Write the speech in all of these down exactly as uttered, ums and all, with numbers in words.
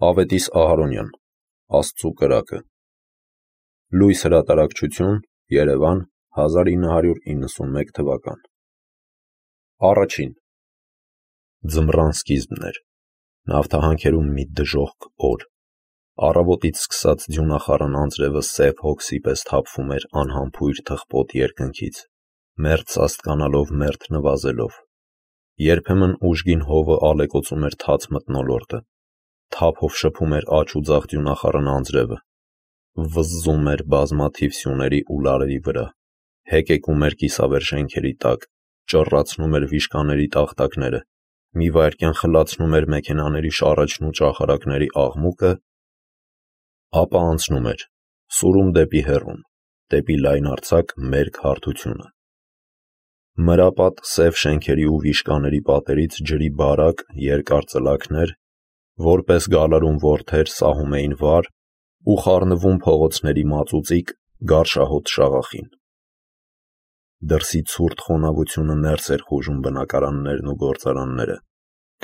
Ավետիս Ահարոնյան, Աստծու կրակը։ Լույս հրատարակչություն, Երևան, հազար ինը հարյուր իննսունմեկ թվական։ Առաջին ձմռան սկիզբն էր։ Նավթահանքերում մի դժոխք օր։ Առավոտից սկսած ձյունախառն անձրևը սև հոգսի պես թափվում էր անհամբույր թխպոտ երկնքից, մերթ սաստկանալով, մերթ նվազելով։ Երբեմն ուժգին հովը ալեկոծում էր թաց մթնոլորտը, թափով շփում էր աջ ու ձախ ձյունախառն անձրևը, վզզում էր բազմաթիվ սյուների ու լարերի վրա, հեկեկում էր կիսավեր շենքերի տակ, ճռռացնում էր վիշկաների տախտակները, մի վայրկյան խլացնում էր մեքենաների շառաչն ու ճախարակների աղմուկը, ապա անցնում էր, սուրում դեպի հեռուն, դեպի լայնարձակ մերկ հարթությունը։ Մրապատ սև շենքերի ու վիշկաների պատերից ջրի բարակ, երկար ծլակներ, որպես գալարում որդեր սահում էին վար ու խառնվում փողոցների մածուծիկ, գարշահոտ շաղախին։ Դրսի ցուրտ խոնավությունը ներս էր խուժում բնակարաններն ու գործարանները,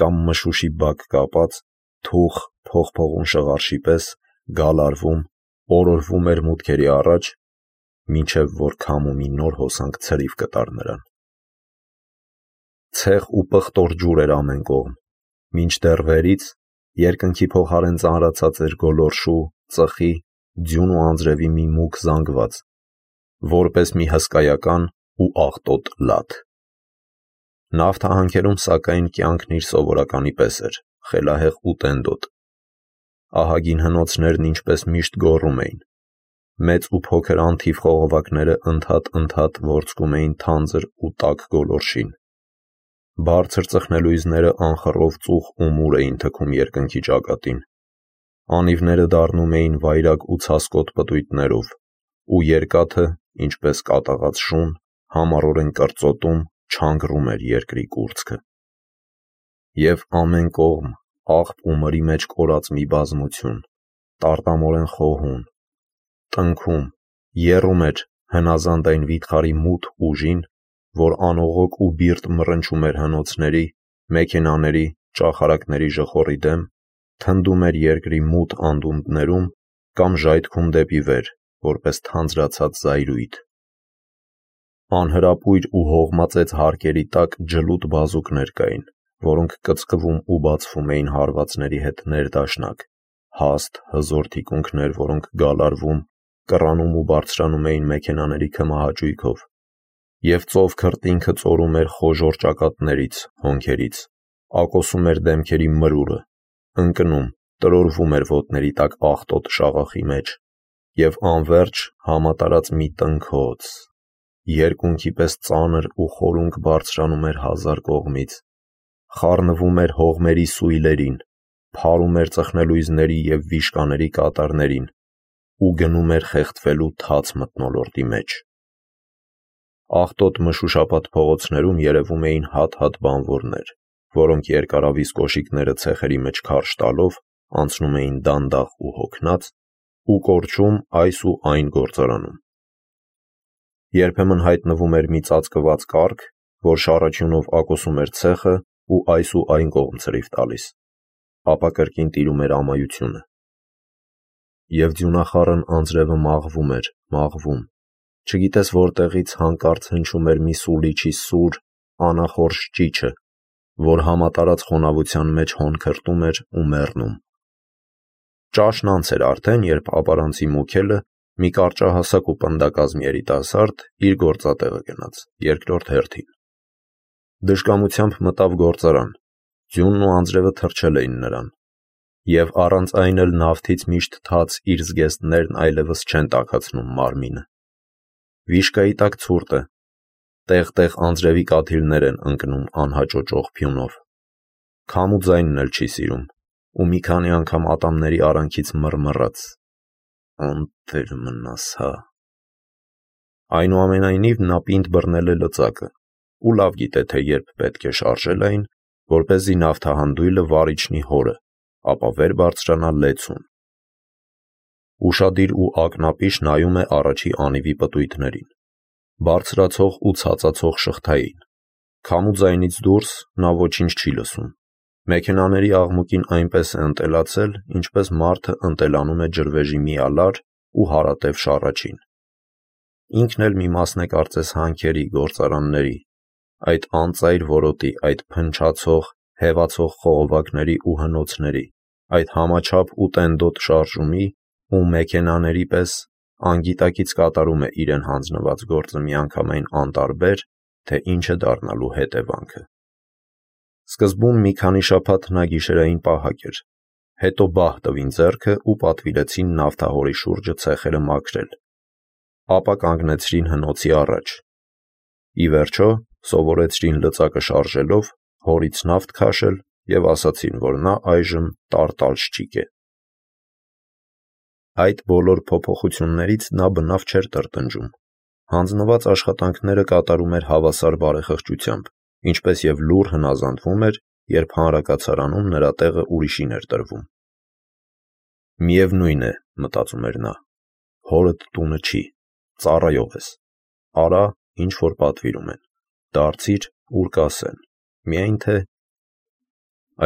կամ մշուշի բակ կապած, թուխ, փողփողուն շղարշի պես գալարվում, օրորվում էր մուտքերի առաջ, մինչև որ քամու մի նոր հոսանք ցրիվ կտար նրան։ Ցեղ ու պղտոր ջուր էր ամեն կողմ, մինչդեռ վերից երկնքի փոխարեն ծանրացած էր գոլորշու, ծխի, ձյուն ու անձրևի մի մուգ զանգված, որպես մի հսկայական ու աղտոտ լաթ։ Նավթահանքերում, սակայն, կյանքն իր սովորականի պես էր, խելահեղ ու տենդոտ։ Ահագին հնոցներն ինչպես միշտ գոռում էին, մեծ ու փոքր անթիվ խողովակները ընդհատ-ընդհատ ворցկում էին թանձր ու տաք գոլորշին։ Բարձր ծխնելույզները անխռով ծուխ ու մուր էին թքում երկնքի ճակատին։ Անիվները դառնում էին վայրագ ու ցասկոտ պտույտներով, ու երկաթը, ինչպես կատաղած շուն, համառորեն կրծոտում, չանգռում էր երկրի կուրծքը։ Եվ ամեն կողմ աղբ ու մրի մեջ կորած մի բազմություն, տարտամորեն խոհուն, տնքում, եռում էր հնազանդ այն վիթխարի մութ ուժին, որ անողոք ու բիրտ մռնչում էր հնոցների, մեքենաների, ճախարակների ժխորի դեմ, թնդում էր երկրի մութ անդունդներում կամ ժայթքում դեպի վեր, որպես թանձրացած զայրույթ։ Անհրապույր ու հողմածեց հարկերի տակ ջլուտ բազուկներ կային, որոնք կծկվում ու բացվում էին հարվածների հետ ներդաշնակ, հաստ, հզոր թիկունքներ, որոնք գալարվում, կռանում ու բարձրանում էին մեքենաների քմահաճույքով, և ծով քրտինքը ծորում էր խոժոռ ճակատներից, հոնքերից, ակոսում էր դեմքերի մրուրը, ընկնում, տրորվում էր ոտների տակ աղտոտ շաղախի մեջ, և անվերջ համատարած մի տնքոց, երկունքի պես ծանր ու խորունկ բարձրանում էր հազար կողմից, խառնվում էր հողմերի սույլերին, փարում էր ծխնելույզների և վիշկաների կատարներին ու գնում էր խեղդվելու թաց մթնոլորտի մեջ։ Աղտոտ մշուշապատ փողոցներում երևում էին հատ-հատ բանվորներ, որոնք երկարավիզ կոշիկները ցեխերի մեջ քարշ տալով անցնում էին դանդաղ ու հոգնած ու կորչում այս ու այն գործարանում։ Երբեմն հայտնվում էր մի ծածկված կառք, որ շառաչյունով ակոսում էր ցեխը ու այս ու այն կողմ ցրիվ տալիս, ապա կրկին տիրում էր ամայությունը։ Եվ ձյունախառն անձրևը մաղվում էր, մաղվում, չգիտես որտեղից հանկարծ հնչում էր մի սուլիչի սուր, անախորժ ճիչը, որ համատարած խոնավության մեջ հոն քրտում էր ու մեռնում։ Ճաշն անց էր արդեն, երբ ապարանցի Մուքելը, մի կարճահասակ ու պնդակազմ երիտասարդ, իր գործատեղը գնաց, երկրորդ հերթին։ Դժկամությամբ մտավ գործարան, ձյունն ու անձրևը թրջել էին նրան, և առանց այն էլ նավթից միշտ թաց իր զգեստներն այլևս չեն տաքացնում մարմինը։ Վիշկայի տակ ցուրտ է, տեղ-տեղ անձրևի կաթիլներ են ընկնում անհաճոճող փյունով։ Քամու ձայնն էլ չի սիրում, ու մի քանի անգամ ատամների արանքից մռմռաց. «Անտեր մնաս, հա»։ Այնուամենայնիվ նա պինդ բռնել է լծակը ու լավ գիտե, թե երբ պետք է շարժել այն, որպեսզի նավթահանդույլը վար իջնի հորը, ապա վեր բարձրանա լեցուն։ Ուշադիր ու ակնապիշ նայում է առաջի անիվի պտույտներին, բարձրացող ու ցածացող շղթային, քամու ձայնից դուրս նա ոչինչ չի լսում, Մեքենաների աղմուկին այնպես է ընտելացել, ինչպես մարդը ընտելանում է ջրվեժի մի ալար ու հարատև շառաչին։ Ինքն էլ մի մասն է կարծես հանքերի, գործարանների, այդ անծայր որոտի, այդ փնչացող, հևացող խողովակների ու հնոցների, այդ համաչափ ու տենդոտ շարժումի ու մեքենաների պես անգիտակից կատարում է իրեն հանձնված գործը միանգամայն անտարբեր, թե ինչ է դառնալու հետևանքը։ Սկզբում մի քանի շաբաթ նա գիշերային պահակ էր, հետո բահ տվին ձեռքը ու պատվիրեցին նավթահորի շուրջը ցեխերը մաքրել, ապա կանգնեցրին հնոցի առաջ։ Ի վերջո սովորեցրին լծակը շարժելով հորից նավթ քաշել և ասացին, որ նա այժմ տարտալշչիկ է։ Այդ բոլոր փոփոխություններից նա բնավ չէր տրտնջում։ Հանձնված աշխատանքները կատարում էր հավասար բարեխղճությամբ, ինչպես և լուռ հնազանդվում էր, երբ հանրակացարանում նրա տեղը ուրիշին էր տրվում։ Միևնույն է, մտածում էր նա, հորդ տունը չի, ծառայող ես, արա, ինչ որ պատվիրում են, դարձիր, ուր կասեն, միայն թե…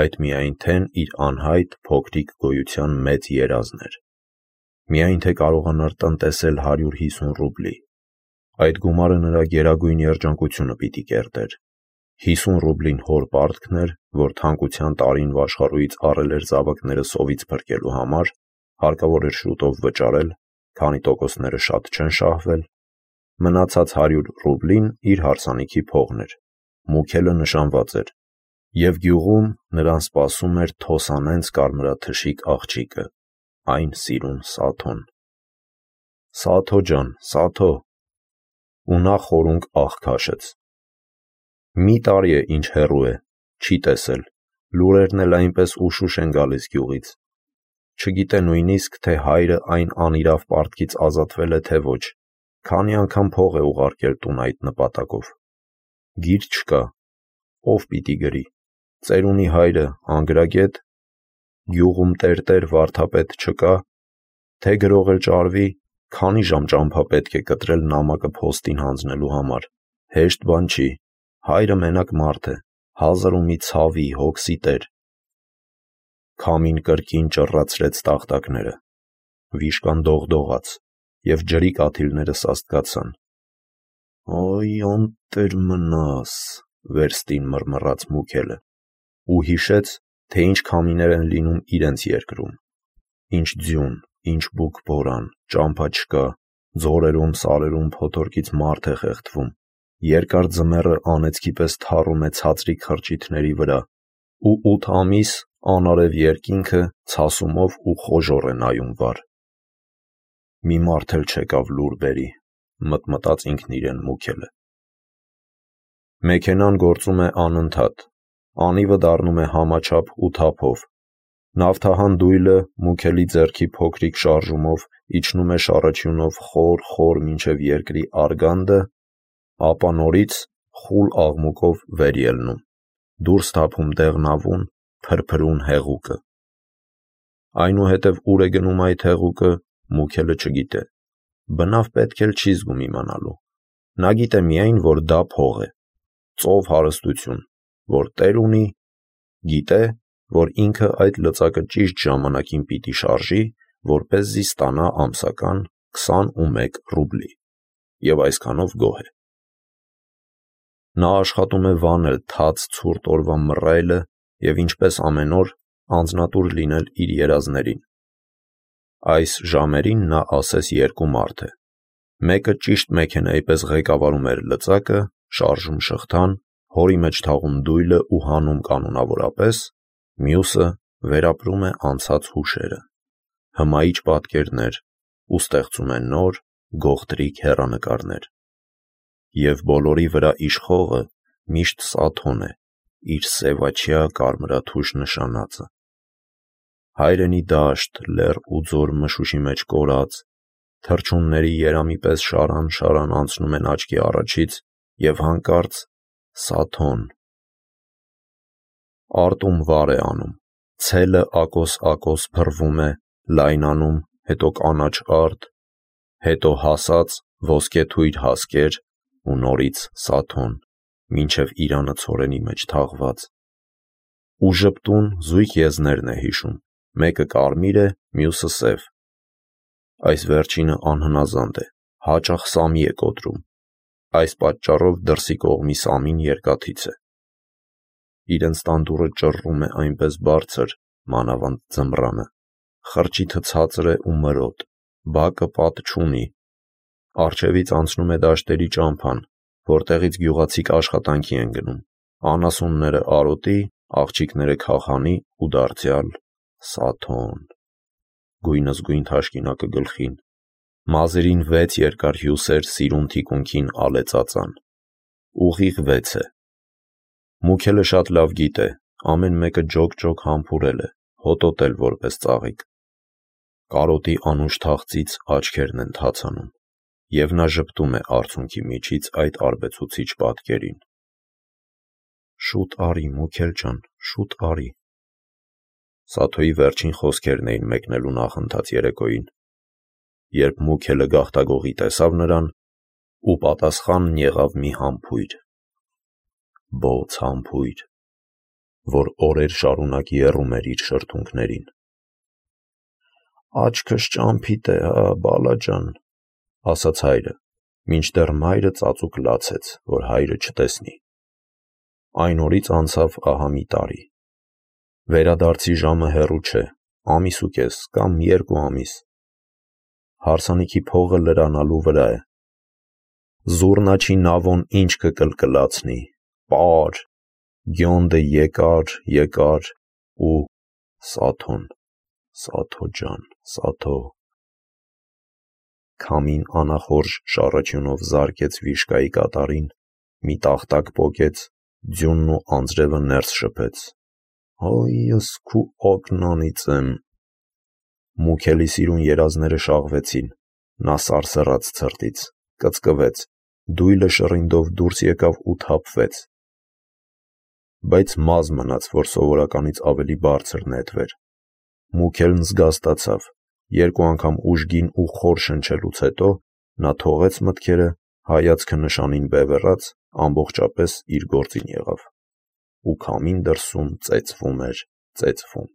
Այդ միայն թեն իր անհայտ փոքրիկ գոյության մեծ երազն էր։ Միայն թե կարողանար տնտեսել հարյուր հիսուն ռուբլի։ Այդ գումարը նրա գերագույն երջանկությունը պիտի կերտեր։ Հիսուն ռուբլին հոր պարտքն էր, որ թանկության տարին վաշխառույից առել էր զավակները սովից փրկելու համար, հարկավոր էր շուտով վճարել, քանի տոկոսները շատ չեն շահվել։ Մնացած հարյուր ռուբլին իր հարսանիքի փողն էր, Մուքելը նշանված էր, և գյուղում նրան սպասում էր թոսանենց կարմրաթշիկ աղջիկը, այն սիրուն Սաթոն։ Սաթո ջան, Սաթո… Ու նա խորունկ ահ քաշեց։ Մի տարի է ինչ հեռու է, չի տեսել, լուրերն էլ այնպես ուշուշ են գալիս գյուղից։ Չգիտե նույնիսկ, թե հայրը այն անիրավ պարտքից ազատվել է, թե ոչ, քանի անգամ փող է ուղարկել տուն այդ նպատակով։ Գիր չկա, ով պիտի գրի, ծերունի հայրը անգրագետ, գյուղում տերտեր վարդապետ չկա, թե գրող էլ ճարվի, քանի ժամ ճամփա պետք է կտրել նամակը փոստին հանձնելու համար, հեշտ բան չի, հայրը մենակ մարդ է, հազար ու մի ցավի, հոգսի տեր։ Քամին կրկին ճռռացրեց տախտակները, վիշկան դողդողաց, և ջրի կաթիլները սաստկացան։ «Օй, անտեր մնաս», վերստին մռմռաց Մուքելը, ու հիշեց, թե ինչ քամիներ են լինում իրենց երկրում, ինչ ձյուն, ինչ բուք բորան, ճամփա չկա, ձորերում, սարերում փոթորկից մարդ է խեղդվում, երկար ձմեռը անեծքի պես թառում է ցածրիկ խրճիթների վրա, ու ութ ամիս անարև երկինքը ցասումով ու խոժոռ է նայում վար։ Մի մարդ էլ չեկավ լուր բերի, մտմտաց ինքն իրեն Մուքելը։ Մեքենան գործում է անընդհատ, անիվը դառնում է համաչափ ու թափով։ Նավթահան դույլը Մուքելի ձեռքի փոքրիկ շարժումով իջնում է շառաչյունով խոր-խոր մինչև երկրի արգանդը, ապա նորից խուլ աղմուկով վեր ելնում, դուրս թափում դեղնավուն, փրփրուն հեղուկը։ Այնուհետև ուր է գնում այդ հեղուկը, Մուքելը չգիտե, բնավ պետք էլ չի զգում իմանալու։ Նա գիտե միայն, որ դա փող է, ծով հարստություն, որ տեր ունի, գիտե, որ ինքը այդ լծակը ճիշտ ժամանակին պիտի շարժի, որպեսզի ստանա ամսական քսանումեկ ռուբլի, և այսքանով գոհ է։ Նա աշխատում է վանել թաց ցուրտ օրվա մռայլը և ինչպես ամեն օր անձնատուր լինել իր երազներին։ Այս ժամերին նա ասես երկու մարդ է։ Մեկը ճիշտ մեքենայի պես ղեկավարում էր լծակը, շարժում շղթան, հորի մեջ թաղում դույլը ու հանում կանոնավորապես, մյուսը վերապրում է անցած հուշերը, հմայիչ պատկերներ ու ստեղծում է նոր, գողտրիկ հեռանկարներ։ Եվ բոլորի վրա իշխողը միշտ Սաթոն է, իր սևաչյա կարմրաթուշ նշանածը։ Հայրենի դաշտ, լեռ ու ձոր մշուշի մեջ կորած, թռչունների երամի պես շարան-շարան անցնում են աչքի առաջից, և հանկարծ Սաթոն… Արտում վար է անում, ցելը ակոս-ակոս փռվում է, լայնանում, հետո կանաչ արդ, հետո հասած ոսկեթույր հասկեր ու նորից Սաթոն, մինչև իրանը ցորենի մեջ թաղված։ ու ժպտուն զույգ եզներն է հիշում, մեկը կարմիր է, մյուսը սև։ Այս վերջինը անհնազանդ է, հաճախ Սամի է կոտրում, այս պատճառով դրսի կողմի Սամին երկաթից է։ Իրենց տան դուռը ճռռում է այնպես բարձր, մանավանդ ձմռանը, խրճիթը ցածր է ու մրոտ, բակը պատ չունի, առջևից անցնում է դաշտերի ճամփան, որտեղից գյուղացիք աշխատանքի են գնում, անասունները արոտի, աղջիկները քախանի ու դարձյալ Սաթոն։ Գույնզգույն թաշկինակը գլխին, մազերին վեց երկար հյուսեր սիրուն թիկունքին ալեծածան, ուղիղ վեց է։ Մուքելը շատ լավ գիտե, ամեն մեկը ջոկ-ջոկ համբուրել է, հոտոտել որպես ծաղիկ։ Կարոտի անուշ թախծից աչքերն են թացանում, և նա ժպտում է արցունքի միջից այդ արբեցուցիչ պատկերին։ Շուտ արի, Մուքել ջան, շուտ արի։ Սաթոյի վերջին խոսքերն էին մեկնելու նախընթաց երեկոյին, երբ Մուքելը գաղտագողի տեսավ նրան ու պատասխանն եղավ մի համբույր, բոց համբույր, որ օրեր շարունակ եռում էր իր շրթունքներին։ Աչքս ճամփիտ է, հա, բալա ջան, ասաց հայրը, մինչդեռ մայրը ծածուկ լացեց, որ հայրը չտեսնի։ Այն օրից անցավ ահա մի տարի։ Վերադարձի ժամը հեռու չէ, ամիս ու կես կամ երկու ամիս։ Հարսանիքի փողը լրանալու վրա է։ Զուռնաչի նավոն ինչ կկլկլացնի, պար, գյոնդը եկար, եկար ու Սաթոն, Սաթո ջան, Սաթո։ Քամին անախորժ շառաչյունով զարկեց վիշկայի կատարին, մի տախտակ պոկեց, ձյունն ու անձրևը ներս շփեց։ Հայս քու օկնանից եմ։ Մուքելի սիրուն երազները շաղվեցին, նա սարսռաց ցրտից, կծկվեց, դույլը շռինդով դուրս եկավ ու թափվեց։ Բայց մազ մնաց, որ սովորականից ավելի բարձր նետվեր։ Մուքելն զգաստացավ, երկու անգամ ուժգին ու խոր շնչելուց հետո նա թողեց մտքերը, հայացքը նշանին բևեռաց, ամբողջապես իր գործին եղավ, ու քամին դրսում ծեծվում էր, ծեծվում։